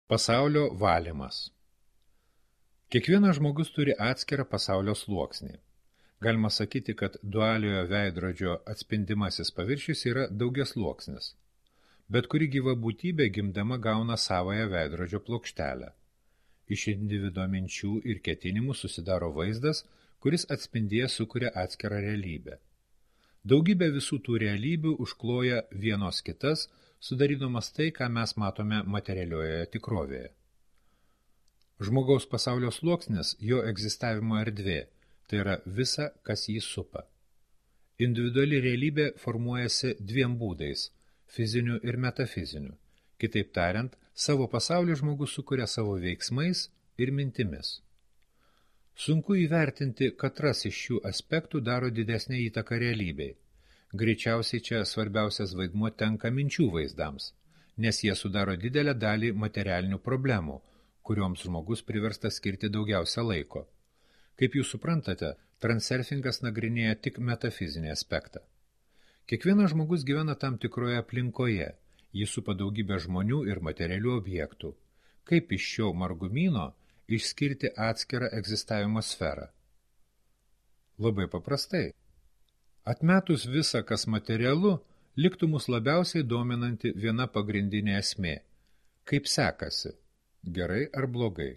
Pasaulio valymas. Kiekvienas žmogus turi atskirą pasaulio sluoksnį. Galima sakyti, kad dualiojo veidrodžio atspindimasis paviršius yra daugiasluoksnis. Bet kuri gyva būtybė gimdama gauna savąją veidrodžio plokštelę. Iš individo minčių ir ketinimų susidaro vaizdas, kuris atspindėje sukuria atskirą realybę. Daugybė visų tų realybių užkloja vienos kitas, sudarydamas tai, ką mes matome materialioje tikrovėje. Žmogaus pasaulio sluoksnis jo egzistavimo erdvė, tai yra visa, kas jį supa. Individuali realybė formuojasi dviem būdais – fiziniu ir metafiziniu. Kitaip tariant, savo pasaulį žmogus sukuria savo veiksmais ir mintimis. Sunku įvertinti, katras iš šių aspektų daro didesnę įtaką realybei. Greičiausiai čia svarbiausias vaidmuo tenka minčių vaizdams, nes jie sudaro didelę dalį materialinių problemų, kurioms žmogus priverstas skirti daugiausia laiko. Kaip jūs suprantate, transurfingas nagrinėja tik metafizinį aspektą. Kiekvienas žmogus gyvena tam tikroje aplinkoje, jį supa daugybė žmonių ir materialių objektų. Kaip iš šio margumyno išskirti atskirą egzistavimo sferą? Labai paprastai. Atmetus visą, kas materialu, liktų mus labiausiai dominanti viena pagrindinė esmė. Kaip sekasi? Gerai ar blogai?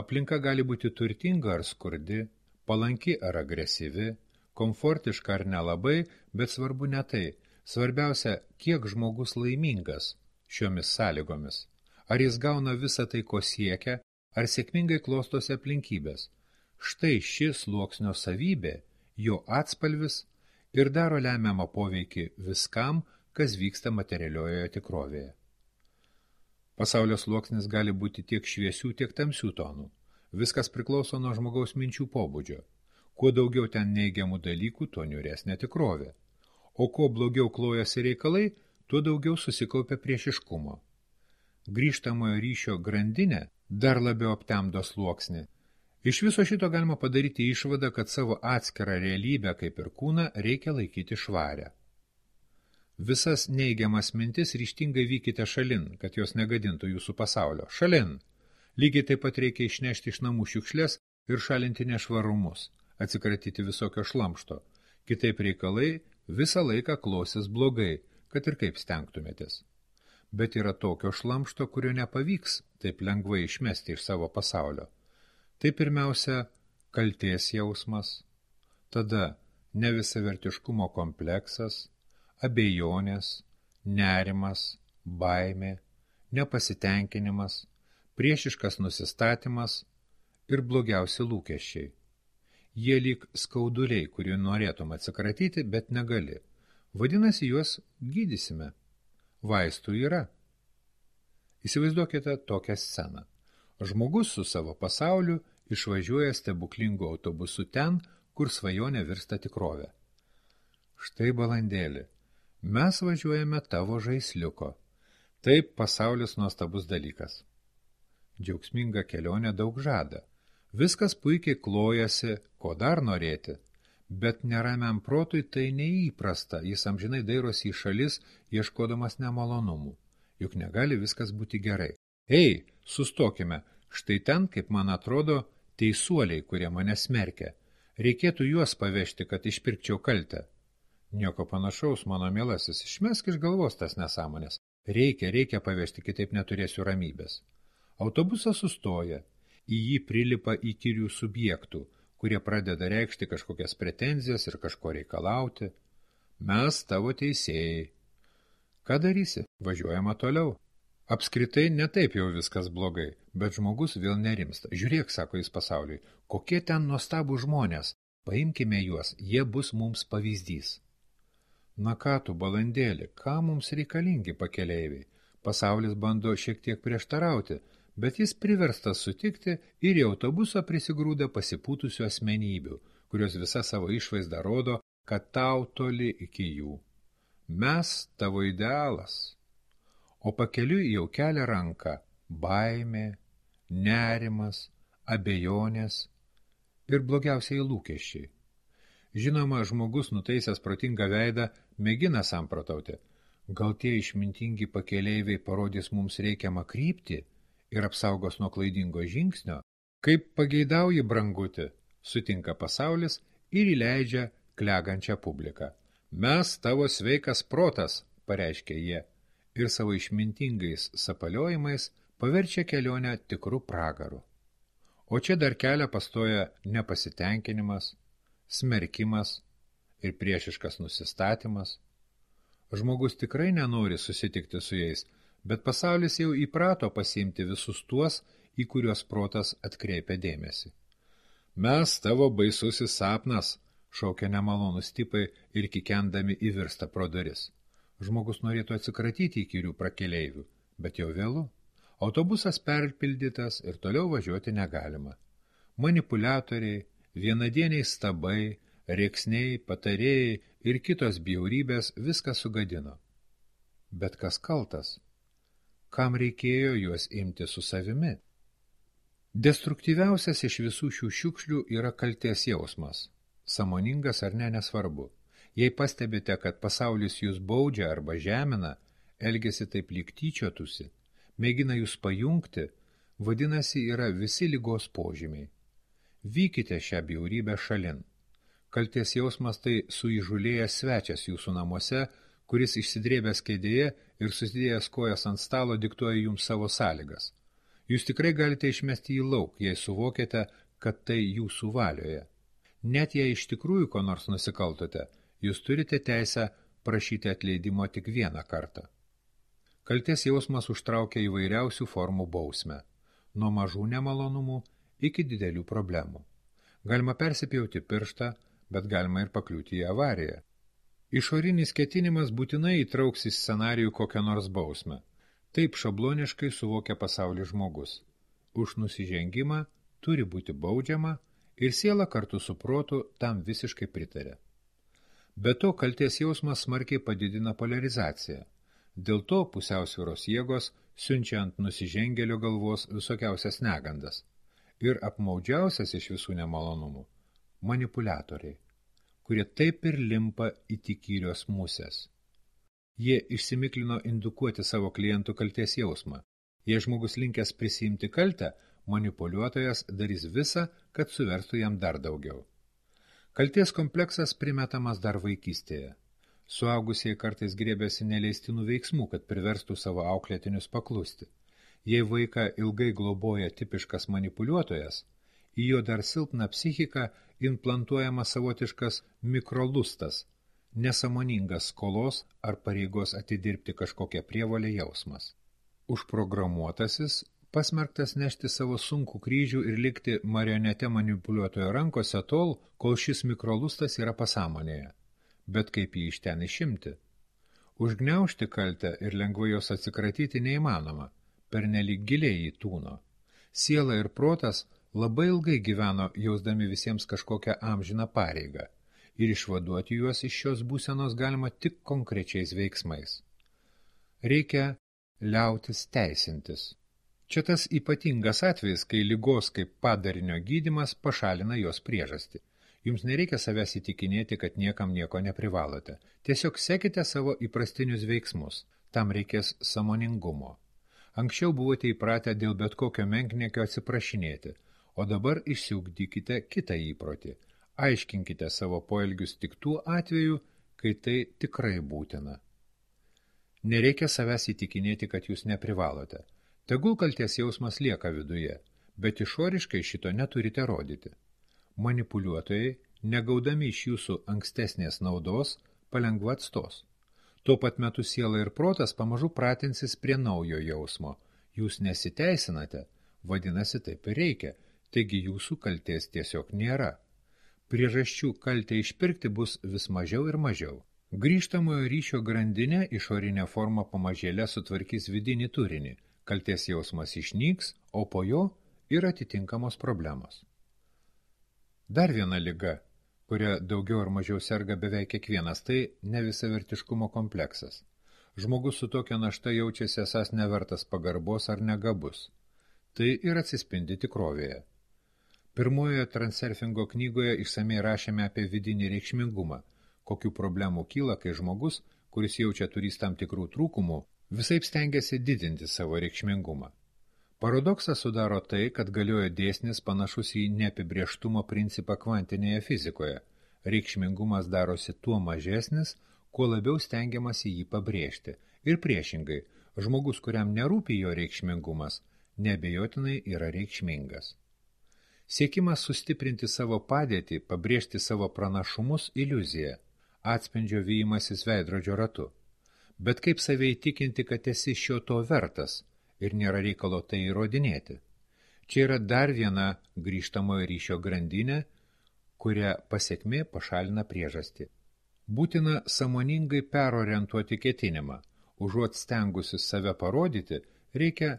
Aplinka gali būti turtinga ar skurdi, palanki ar agresyvi, komfortiška ar nelabai, bet svarbu ne tai. Svarbiausia, kiek žmogus laimingas šiomis sąlygomis. Ar jis gauna visą tai, ko siekia, ar sėkmingai klostosi aplinkybės. Štai ši sluoksnio savybė, jo atspalvis ir daro lemiamą poveikį viskam, kas vyksta materialiojoje tikrovėje. Pasaulio sluoksnis gali būti tiek šviesių, tiek tamsių tonų. Viskas priklauso nuo žmogaus minčių pobūdžio. Kuo daugiau ten neigiamų dalykų, tuo niūresnė tikrovė. O kuo blogiau klojasi reikalai, tuo daugiau susikaupia priešiškumo. Grįžtamojo ryšio grandinė dar labiau aptemdo sluoksnį. Iš viso šito galima padaryti išvadą, kad savo atskirą realybę, kaip ir kūną, reikia laikyti švarę. Visas neigiamas mintis ryžtingai vykite šalin, kad jos negadintų jūsų pasaulio. Šalin! Lygiai taip pat reikia išnešti iš namų šiukšles ir šalinti nešvarumus, atsikratyti visokio šlamšto. Kitaip reikalai visą laiką klosis blogai, kad ir kaip stengtumėtės. Bet yra tokio šlamšto, kurio nepavyks taip lengvai išmesti iš savo pasaulio. Tai pirmiausia, kaltės jausmas, tada nevisavertiškumo kompleksas, abejonės, nerimas, baimė, nepasitenkinimas, priešiškas nusistatymas ir blogiausi lūkesčiai. Jie lyg skauduliai, kurių norėtum atsikratyti, bet negali. Vadinasi, juos gydysime. Vaistų yra. Įsivaizduokite tokią sceną. Žmogus su savo pasauliu išvažiuoja stebuklingu autobusu ten, kur svajonė virsta tikrove. Štai balandėli, mes važiuojame tavo žaisliuko. Taip pasaulis nuostabus dalykas. Džiaugsminga kelionė daug žada. Viskas puikiai klojasi, ko dar norėti. Bet neramiam protui tai neįprasta, jis amžinai dairosi į šalis, ieškodamas nemalonumų. Juk negali viskas būti gerai. Ei, sustokime, štai ten, kaip man atrodo, teisuoliai, kurie mane smerkia. Reikėtų juos pavežti, kad išpirkčiau kaltę. Nieko panašaus, mano mielasis, išmesk iš galvos tas nesąmonės. Reikia pavežti, kitaip neturėsiu ramybės. Autobusas sustoja, į jį prilipa įkyrių subjektų, kurie pradeda reikšti kažkokias pretenzijas ir kažko reikalauti. Mes tavo teisėjai. Ką darysi? Važiuojama toliau. Apskritai netaip jau viskas blogai, bet žmogus vėl nerimsta. Žiūrėk, sako jis pasauliui, kokie ten nuostabų žmonės. Paimkime juos, jie bus mums pavyzdys. Na ką tu, balandėli, ką mums reikalingi pakeleiviai? Pasaulis bando šiek tiek prieštarauti, bet jis priverstas sutikti ir į autobusą prisigrūda pasipūtusių asmenybių, kurios visa savo išvaizdą rodo, kad tau toli iki jų. Mes tavo idealas. O pakeliui jau kelia ranką baimė, nerimas, abejonės ir blogiausiai lūkesčiai. Žinoma, žmogus nutaisęs protingą veidą mėgina samprotauti. Gal tie išmintingi pakeleiviai parodys mums reikiamą kryptį ir apsaugos nuo klaidingo žingsnio, kaip pageidauji branguti, sutinka pasaulis ir įleidžia klegančią publiką. Mes tavo sveikas protas, pareiškia jie, ir savo išmintingais sapaliojimais paverčia kelionę tikrų pragarų. O čia dar kelią pastoja nepasitenkinimas, smerkimas ir priešiškas nusistatymas. Žmogus tikrai nenori susitikti su jais, bet pasaulis jau įprato pasiimti visus tuos, į kuriuos protas atkreipia dėmesį. Mes tavo baisusis sapnas, šaukia nemalonus tipai ir kikendami įvirsta pro duris. Žmogus norėtų atsikratyti įkyrių prakeleivių, bet jau vėlu. Autobusas perpildytas ir toliau važiuoti negalima. Manipuliatoriai, vienadieniai stabai, rėksniai, patarėjai ir kitos bjaurybės viską sugadino. Bet kas kaltas? Kam reikėjo juos imti su savimi? Destruktyviausias iš visų šių šiukšlių yra kaltės jausmas. Sąmoningas ar ne, nesvarbu. Jei pastebite, kad pasaulis jūs baudžia arba žemina, elgiasi taip lyg tyčiotųsi, mėgina jūs pajungti, vadinasi yra visi ligos požymiai. Vykite šią bjaurybę šalin. Kaltės jausmas tai suįžulėjęs svečias jūsų namuose, kuris išsidrėbęs kėdėje ir susidėjęs kojas ant stalo diktuoja jums savo sąlygas. Jūs tikrai galite išmesti jį lauk, jei suvokiate, kad tai jūsų valioje. Net jei iš tikrųjų ko nors nusikaltote, jūs turite teisę prašyti atleidimo tik vieną kartą. Kaltės jausmas užtraukia įvairiausių formų bausmę, nuo mažų nemalonumų iki didelių problemų. Galima persipjauti pirštą, bet galima ir pakliūti į avariją. Išorinis ketinimas būtinai įtrauks į scenarijų kokią nors bausmę. Taip šabloniškai suvokia pasaulį žmogus. Už nusižengimą turi būti baudžiama ir siela kartu su protu tam visiškai pritarė. Be to, kaltės jausmas smarkiai padidina polarizaciją. Dėl to pusiausvyros jėgos siunčia ant nusižengėlio galvos visokiausias negandas. Ir apmaudžiausias iš visų nemalonumų – manipuliatoriai, kurie taip ir limpa it įkyrios musės. Jie išsimiklino indukuoti savo klientų kaltės jausmą. Jei žmogus linkęs prisiimti kaltę, manipuliuotojas darys visą, kad suverstų jam dar daugiau. Kaltės kompleksas primetamas dar vaikystėje. Suaugusieji kartais grėbėsi neleistinų veiksmų, kad priverstų savo auklėtinius paklusti. Jei vaiką ilgai globoja tipiškas manipuliuotojas, į jo dar silpną psichiką implantuojamas savotiškas mikrolustas, nesąmoningas skolos ar pareigos atidirbti kažkokią prievolę jausmas. Užprogramuotasis pasmerktas nešti savo sunkų kryžių ir likti marionete manipuliuotojo rankose tol, kol šis mikrolustas yra pasąmonėje. Bet kaip jį iš ten išimti? Užgniaužti kaltę ir lengvai jos atsikratyti neįmanoma, pernelyg giliai į tūno. Siela ir protas labai ilgai gyveno, jausdami visiems kažkokią amžiną pareigą, ir išvaduoti juos iš šios būsenos galima tik konkrečiais veiksmais. Reikia liautis teisintis. Čia tas ypatingas atvejis, kai ligos kaip padarinio gydymas pašalina jos priežastį. Jums nereikia savęs įtikinėti, kad niekam nieko neprivalote. Tiesiog sekite savo įprastinius veiksmus. Tam reikės sąmoningumo. Anksčiau buvote įpratę dėl bet kokio menkniekio atsiprašinėti, o dabar išsiugdykite kitą įprotį. Aiškinkite savo poelgius tik tuo atveju, kai tai tikrai būtina. Nereikia savęs įtikinėti, kad jūs neprivalote. Tegul kaltės jausmas lieka viduje, bet išoriškai šito neturite rodyti. Manipuliuotojai, negaudami iš jūsų ankstesnės naudos, palengva atstos. Tuo pat metu siela ir protas pamažu pratinsis prie naujo jausmo. Jūs nesiteisinate, vadinasi taip ir reikia, taigi jūsų kaltės tiesiog nėra. Priežasčių kaltę išpirkti bus vis mažiau ir mažiau. Grįžtamojo ryšio grandinė išorinė forma pamažėlę sutvarkys vidinį turinį. Kaltės jausmas išnyks, o po jo ir atitinkamos problemos. Dar viena liga, kuria daugiau ar mažiau serga beveik kiekvienas, tai nevisavertiškumo kompleksas. Žmogus su tokia našta jaučiasi esąs nevertas pagarbos ar negabus. Tai ir atsispindi tikrovėje. Pirmojoje Transurfingo knygoje išsamei rašėme apie vidinį reikšmingumą, kokių problemų kyla, kai žmogus, kuris jaučia turys tam tikrų trūkumų, visaip stengiasi didinti savo reikšmingumą. Paradoksą sudaro tai, kad galioja dėsnis panašus į neapibrėžtumo principą kvantinėje fizikoje. Reikšmingumas darosi tuo mažesnis, kuo labiau stengiamasi jį pabrėžti. Ir priešingai, žmogus, kuriam nerūpi jo reikšmingumas, neabejotinai yra reikšmingas. Siekimas sustiprinti savo padėtį, pabrėžti savo pranašumus – iliuzija, atspindžio vijimasis veidrodžio ratu. Bet kaip save įtikinti, kad esi šio to vertas ir nėra reikalo tai įrodinėti? Čia yra dar viena grįžtamojo ryšio grandinė, kuria pasekmė pašalina priežastį. Būtina sąmoningai perorientuoti ketinimą. Užuot stengusis save parodyti, reikia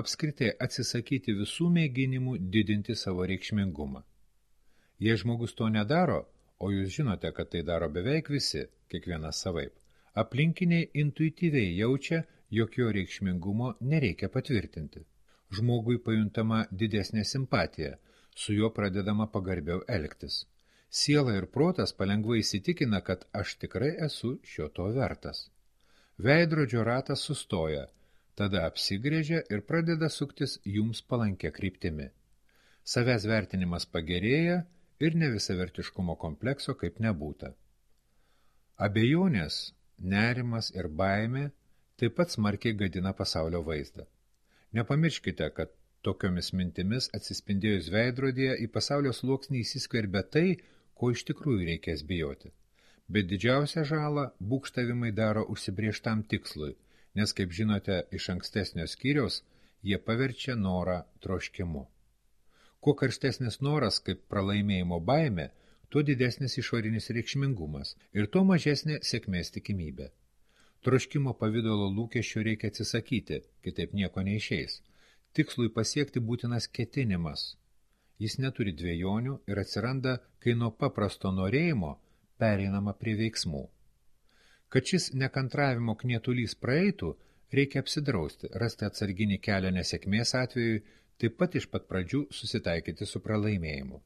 apskritai atsisakyti visų mėginimų didinti savo reikšmingumą. Jei žmogus to nedaro, o jūs žinote, kad tai daro beveik visi, kiekvienas savaip, aplinkiniai intuityviai jaučia, jog jo reikšmingumo nereikia patvirtinti. Žmogui pajuntama didesnė simpatija, su juo pradedama pagarbiau elgtis. Siela ir protas palengvai įsitikina, kad aš tikrai esu šio to vertas. Veidrodžio ratas sustoja, tada apsigrėžia ir pradeda suktis jums palankia kryptimi. Savęs vertinimas pagerėja ir nevisavertiškumo komplekso kaip nebūta. Abejonės, nerimas ir baimė taip pat smarkiai gadina pasaulio vaizdą. Nepamirškite, kad tokiomis mintimis atsispindėjus veidrodyje į pasaulio sluoksnį įsiskverbia tai, ko iš tikrųjų reikės bijoti. Bet didžiausią žalą būgštavimai daro užsibrėžtam tikslui, nes, kaip žinote, iš ankstesnio skyriaus jie paverčia norą troškimu. Kuo karštesnis noras kaip pralaimėjimo baimė, tuo didesnis išorinis reikšmingumas ir tuo mažesnė sėkmės tikimybė. Troškimo pavidalo lūkesčio reikia atsisakyti, kitaip nieko neišeis. Tikslui pasiekti būtinas ketinimas. Jis neturi dvejonių ir atsiranda, kai nuo paprasto norėjimo pereinama prie veiksmų. Kad šis nekantravimo knietulys praeitų, reikia apsidrausti, rasti atsarginį kelią nesėkmės atveju, taip pat iš pat pradžių susitaikyti su pralaimėjimu.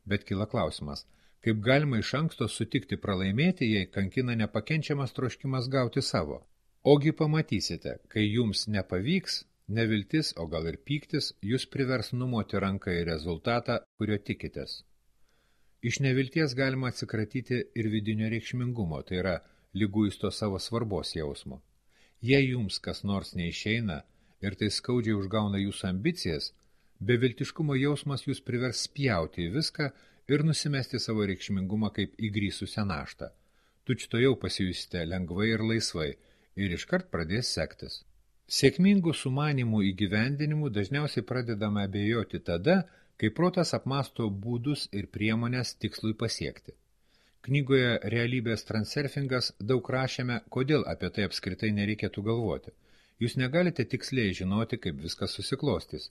Bet kyla klausimas, kaip galima iš anksto sutikti pralaimėti, jei kankina nepakenčiamas troškimas gauti savo. Ogi pamatysite, kai jums nepavyks, neviltis, o gal ir pyktis, jūs privers numoti ranką į rezultatą, kurio tikitės. Iš nevilties galima atsikratyti ir vidinio reikšmingumo, tai yra liguisto savo svarbos jausmo. Jei jums kas nors neišeina ir tai skaudžiai užgauna jūsų ambicijas, beviltiškumo jausmas jūs privers spjauti į viską ir nusimesti savo reikšmingumą kaip įgrįsusią naštą. Tučtuojau pasijusite lengvai ir laisvai ir iškart pradės sektis. Sėkmingų sumanimų įgyvendinimų dažniausiai pradedame abejoti tada, kai protas apmąsto būdus ir priemonės tikslui pasiekti. Knygoje Realybės transurfingas daug rašėme, kodėl apie tai apskritai nereikėtų galvoti. Jūs negalite tiksliai žinoti, kaip viskas susiklostys.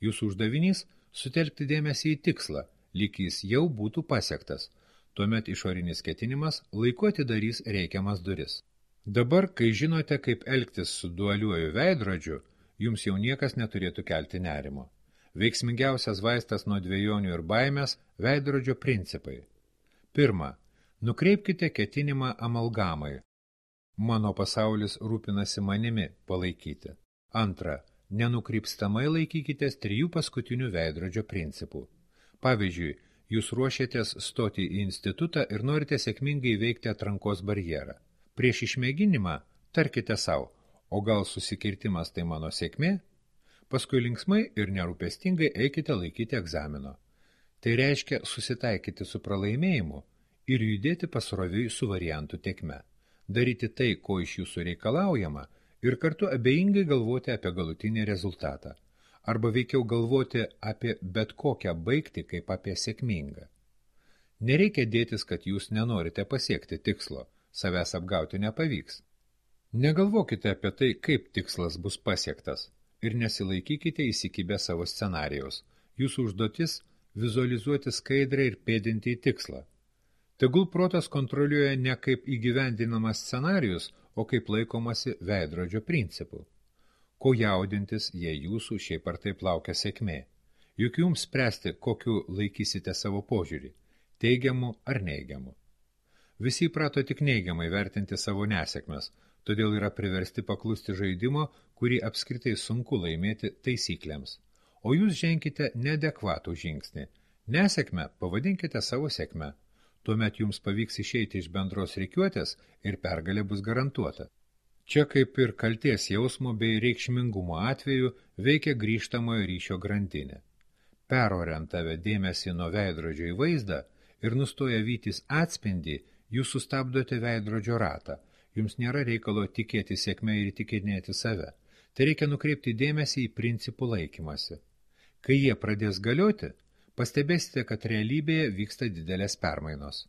Jūsų uždavinys – sutelkti dėmesį į tikslą, lyg jis jau būtų pasiektas. Tuomet išorinis ketinimas laiku atidarys reikiamas duris. Dabar, kai žinote, kaip elgtis su dualiuoju veidrodžiu, jums jau niekas neturėtų kelti nerimo. Veiksmingiausias vaistas nuo dvejonių ir baimės – veidrodžio principai. Pirma, nukreipkite ketinimą amalgamai. Mano pasaulis rūpinasi manimi palaikyti. Antra, nenukrypstamai laikykitės 3 paskutinių veidrodžio principų. Pavyzdžiui, jūs ruošiatės stoti į institutą ir norite sėkmingai įveikti atrankos barjerą. Prieš išmėginimą tarkite sau, o gal susikirtimas tai mano sėkmė? Paskui linksmai ir nerūpestingai eikite laikyti egzamino. Tai reiškia susitaikyti su pralaimėjimu ir judėti pasroviui su variantų tėkme. Daryti tai, ko iš jūsų reikalaujama, ir kartu abejingai galvoti apie galutinį rezultatą. Arba veikiau galvoti apie bet kokią baigtį kaip apie sėkmingą. Nereikia dėtis, kad jūs nenorite pasiekti tikslo, savęs apgauti nepavyks. Negalvokite apie tai, kaip tikslas bus pasiektas, ir nesilaikykite įsikibę savo scenarijaus. Jūsų užduotis – vizualizuoti skaidrę ir pėdinti į tikslą. Tegul protas kontroliuoja ne kaip įgyvendinamas scenarijus, o kaip laikomasi veidrodžio principų. Ko jaudintis, jei jūsų šiaip ar taip laukia sėkmė. Juk jums spręsti, kokiu laikysite savo požiūrį – teigiamu ar neigiamu. Visi įprato tik neigiamai vertinti savo nesėkmes, todėl yra priversti paklusti žaidimo, kurį apskritai sunku laimėti taisyklėms. o jūs ženkite neadekvatų žingsnį. Nesėkmę pavadinkite savo sėkme. Tuomet jums pavyks išeiti iš bendros rikiuotės ir pergalė bus garantuota. Čia kaip ir kaltės jausmo bei reikšmingumo atveju veikia grįžtamojo ryšio grandinė. Perorientavę dėmesį nuo veidrodžio į vaizdą ir nustoję vytis atspindį, jūs sustabdote veidrodžio ratą. Jums nėra reikalo tikėti sėkme ir įtikinėti save. Tai reikia nukreipti dėmesį į principų laikymasi. Kai jie pradės galioti, pastebėsite, kad realybėje vyksta didelės permainos.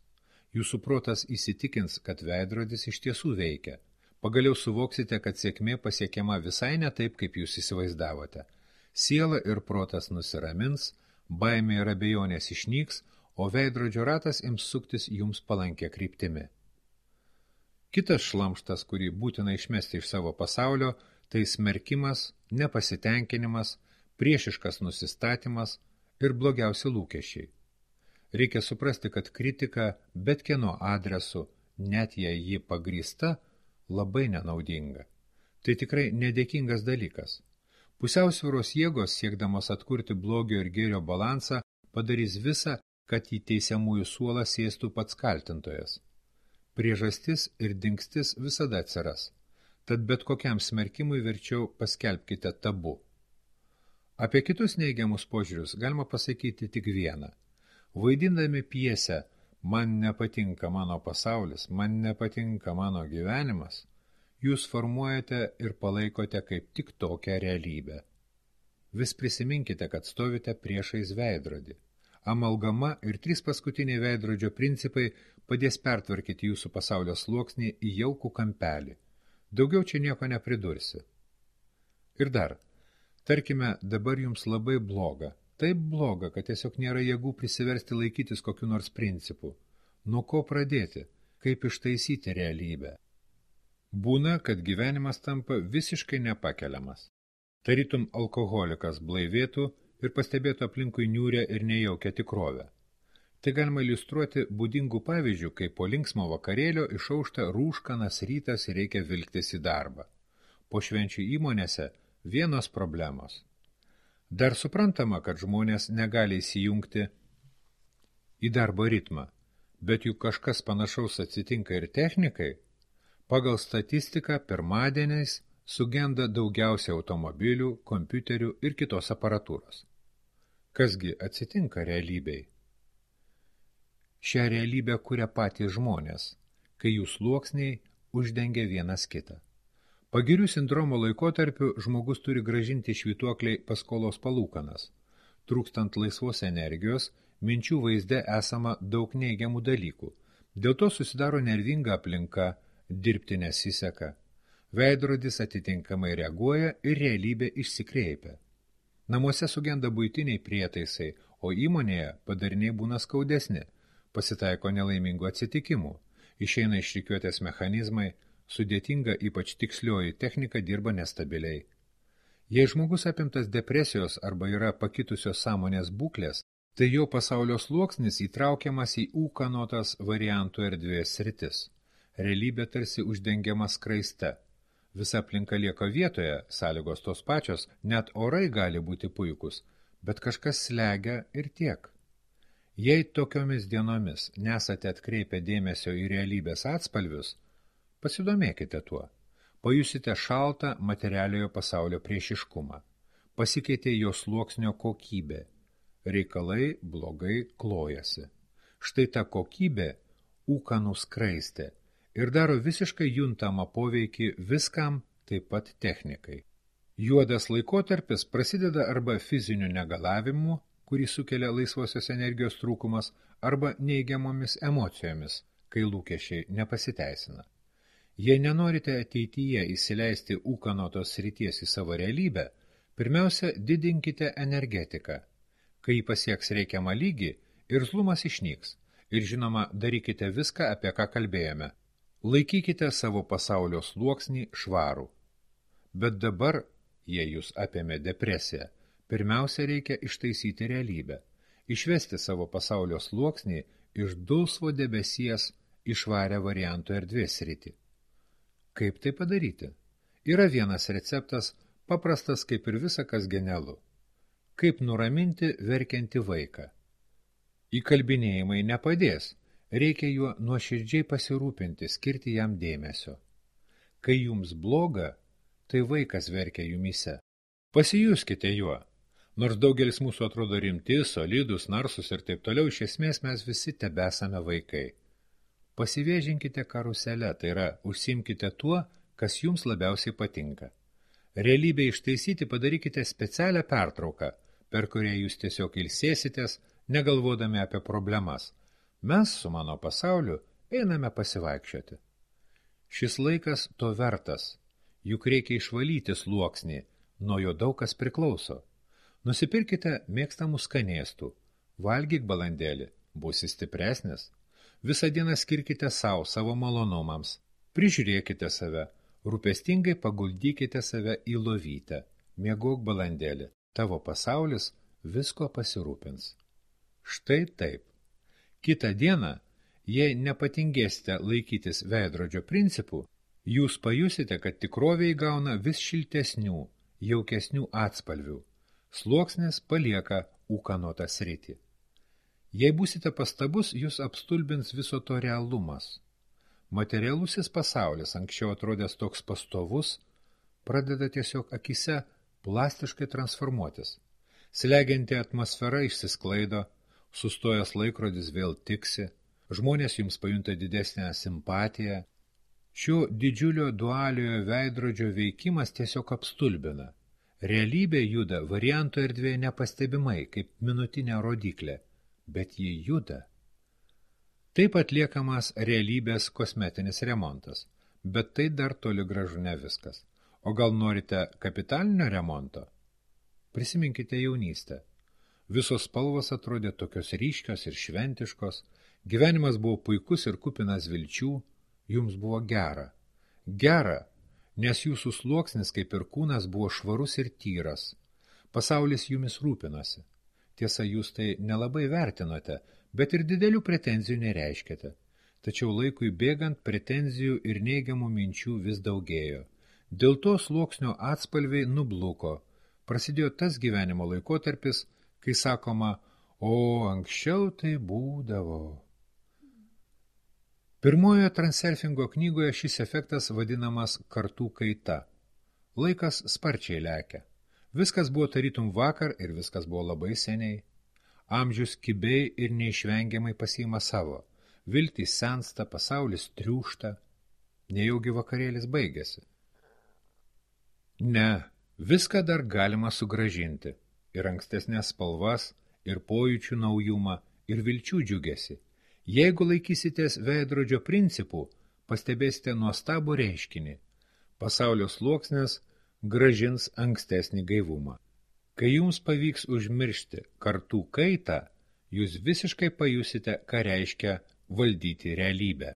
Jūsų protas įsitikins, kad veidrodis iš tiesų veikia. Pagaliau suvoksite, kad sėkmė pasiekiama visai ne taip, kaip jūs įsivaizdavote. Siela ir protas nusiramins, baimė ir abejonės išnyks, o veidrodžio ratas ims suktis jums palankia kryptimi. Kitas šlamštas, kurį būtina išmesti iš savo pasaulio, tai smerkimas, nepasitenkinimas, priešiškas nusistatymas ir blogiausi lūkesčiai. Reikia suprasti, kad kritika bet kieno adresu, net jei ji pagrįsta, labai nenaudinga. Tai tikrai nedėkingas dalykas. Pusiausvyros jėgos, siekdamos atkurti blogio ir gėrio balansą, padarys visą, kad į teisiamųjų suolą sėstų pats kaltintojas. Priežastis ir dingstis visada atsiras, tad bet kokiam smerkimui verčiau paskelbkite tabu. Apie kitus neigiamus požiūrius galima pasakyti tik vieną. Vaidindami pjesę "Man nepatinka mano pasaulis, man nepatinka mano gyvenimas", jūs formuojate ir palaikote kaip tik tokią realybę. Vis prisiminkite, kad stovite priešais veidrodį. Amalgama ir 3 paskutiniai veidrodžio principai padės pertvarkyti jūsų pasaulio sluoksnį į jaukų kampelį. Daugiau čia nieko nepridursi. Ir dar, tarkime, dabar jums labai bloga. Taip bloga, kad tiesiog nėra jėgų prisiversti laikytis kokiu nors principų. Nuo ko pradėti? Kaip ištaisyti realybę? Būna, kad gyvenimas tampa visiškai nepakeliamas. Tarytum alkoholikas blaivėtų ir pastebėtų aplinkui niūrę ir nejaukę tikrovę. Tai galima iliustruoti būdingų pavyzdžių, kai po linksmo vakarėlio išaušta rūškanas rytas ir reikia vilktis į darbą. Po švenčių įmonėse vienos problemos. Dar suprantama, kad žmonės negali įsijungti į darbo ritmą, bet juk kažkas panašaus atsitinka ir technikai. Pagal statistiką pirmadieniais sugenda daugiausia automobilių, kompiuterių ir kitos aparatūros. Kasgi atsitinka realybei? Šią realybę kuria patys žmonės, kai jų sluoksniai uždengia vienas kitą. Pagirių sindromo laikotarpiu žmogus turi gražinti švytuokliai paskolos palūkanas. Trūkstant laisvos energijos, minčių vaizde esama daug neigiamų dalykų. Dėl to susidaro nervinga aplinka, dirbti nesiseka. Veidrodis atitinkamai reaguoja ir realybė išsikreipia. Namuose sugenda buitiniai prietaisai, o įmonėje padariniai būna skaudesni. Pasitaiko nelaimingų atsitikimų. Išeina iš rikiuotės mechanizmai, sudėtinga ypač tikslioji technika dirba nestabiliai. Jei žmogus apimtas depresijos arba yra pakitusios sąmonės būklės, tai jo pasaulio sluoksnis įtraukiamas į ūkanotas variantų erdvės sritis. Realybė tarsi uždengiama skraiste. Visa aplinka lieka vietoje, sąlygos tos pačios, net orai gali būti puikus, bet kažkas slegia ir tiek. Jei tokiomis dienomis nesate atkreipę dėmesio į realybės atspalvius, pasidomėkite tuo. Pajusite šaltą materialiojo pasaulio priešiškumą. Pasikeitė jo sluoksnio kokybė. Reikalai blogai klojasi. Štai ta kokybė ūkanų skraistė ir daro visiškai juntamą poveikį viskam, taip pat technikai. Juodas laikotarpis prasideda arba fiziniu negalavimu, kurį sukelia laisvosios energijos trūkumas, arba neigiamomis emocijomis, kai lūkesčiai nepasiteisina. Jei nenorite ateityje įsileisti ūkanotos srities į savo realybę, pirmiausia, didinkite energetiką. Kai pasieks reikiamą lygį, irzlumas išnyks. Ir žinoma, darykite viską, apie ką kalbėjome. Laikykite savo pasaulio sluoksnį švarų. Bet dabar, jei jūs apėmė depresiją, pirmiausia reikia ištaisyti realybę, išvesti savo pasaulio sluoksnį iš dulsvo debesies į švarę variantų erdvės sritį. Kaip tai padaryti? Yra vienas receptas, paprastas kaip ir visa kas genialu. Kaip nuraminti verkiantį vaiką? Įkalbinėjimai nepadės, reikia juo nuoširdžiai pasirūpinti, skirti jam dėmesio. Kai jums bloga, tai vaikas verkia jumyse. Pasijuskite juo. Nors daugelis mūsų atrodo rimti, solidus, narsus ir taip toliau, iš esmės mes visi tebesame vaikai. Pasivėžinkite karuselę, tai yra, užsiimkite tuo, kas jums labiausiai patinka. Realybę ištaisyti padarykite specialią pertrauką, per kurią jūs tiesiog ilsėsitės, negalvodami apie problemas. Mes su mano pasauliu einame pasivaikščioti. Šis laikas to vertas, juk reikia išvalyti sluoksnį, nuo jo daug kas priklauso. Nusipirkite mėgstamų skanėstų, valgyk balandėlį, būsi stipresnis. Visą dieną skirkite savo malonumams, prižiūrėkite save, rūpestingai paguldykite save į lovytę, miegok balandėlį, tavo pasaulis visko pasirūpins. Štai taip. Kitą dieną, jei nepatingėsite laikytis veidrodžio principų, jūs pajusite, kad tikrovė įgauna vis šiltesnių, jaukesnių atspalvių. Sluoksnis palieka ūkanotą sritį. Jei būsite pastabus, jūs apstulbins viso to realumas. Materialusis pasaulis, anksčiau atrodęs toks pastovus, pradeda tiesiog akise plastiškai transformuotis. Slegianti atmosfera išsisklaido, sustojęs laikrodis vėl tiksi, žmonės jums pajunta didesnę simpatiją. Šio didžiulio dualiojo veidrodžio veikimas tiesiog apstulbina. Realybė juda varianto erdvėje nepastebimai, kaip minutinė rodiklė, bet ji juda. Taip atliekamas realybės kosmetinis remontas, bet tai dar toli gražu ne viskas. O gal norite kapitalinio remonto? Prisiminkite jaunystę. Visos spalvos atrodė tokios ryškios ir šventiškos, gyvenimas buvo puikus ir kupinas vilčių, jums buvo gera. Gera, nes jūsų sluoksnis, kaip ir kūnas, buvo švarus ir tyras. Pasaulis jumis rūpinosi. Tiesa, jūs tai nelabai vertinote, bet ir didelių pretenzijų nereiškėte. Tačiau laikui bėgant pretenzijų ir neigiamų minčių vis daugėjo. Dėl to sluoksnio atspalviai nubluko. Prasidėjo tas gyvenimo laikotarpis, kai sakoma, o anksčiau tai būdavo. Pirmojoje transurfingo knygoje šis efektas vadinamas kartų kaita. Laikas sparčiai lekia. Viskas buvo tarytum vakar ir viskas buvo labai seniai. Amžius kibiai ir neišvengiamai pasiima savo. Viltys sensta, pasaulis triūšta. Nejaugi vakarėlis baigėsi. Ne, viską dar galima sugrąžinti. Ir ankstesnės spalvas, ir pojūčių naujumą, ir vilčių džiugesi. Jeigu laikysitės veidrodžio principų, pastebėsite nuostabų reiškinį. Pasaulio sluoksnis grąžins ankstesnį gaivumą. Kai jums pavyks užmiršti kartų kaitą, jūs visiškai pajusite, ką reiškia valdyti realybę.